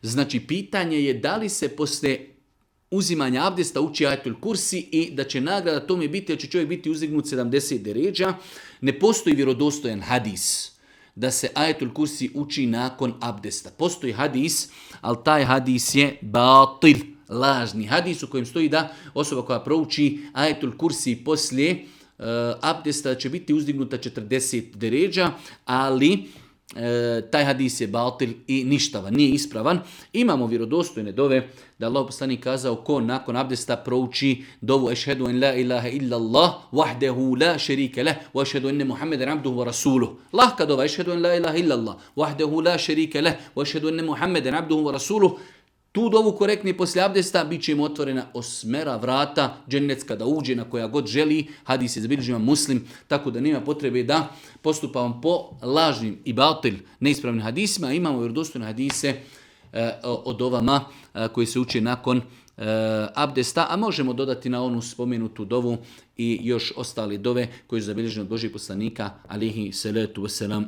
Znači, pitanje je da li se poslije uzimanja abdesta uči ajetul kursi i da će nagrada tome biti, da će čovjek biti uzdignut 70 deređa. Ne postoji vjerodostojan hadis da se ajetul kursi uči nakon abdesta. Postoji hadis, ali taj hadis je batil, lažni hadis u kojem stoji da osoba koja prouči ajetul kursi poslije abdesta će biti uzdignuta 40 deređa, ali taj hadis je batil i ništavan, nije ispravan. Imamo vjerodostojne dove da Allah poslanik kazao ko nakon abdesta prouči dovu ešhedu en la ilaha illa Allah wahdehu la šerike leh wa ešhedu enne Muhammeden abduhu wa rasuluh. Lahka dova ešhedu en la ilaha illa Allah wahdehu la šerike leh wa ešhedu enne Muhammeden abduhu wa rasuluh. Tu dovu korektnije poslije abdesta bit će im otvorena 8 vrata džennetska da uđe na koja god želi. Hadis je zabilježio Muslim, tako da nema potrebe da postupamo po lažnim i batil neispravnim hadisima. Imamo vjerodostojne hadise o dovama koji se uče nakon abdesta, a možemo dodati na onu spomenutu dovu i još ostale dove koje su zabilježene od Božih poslanika, alihi salatu wasalam.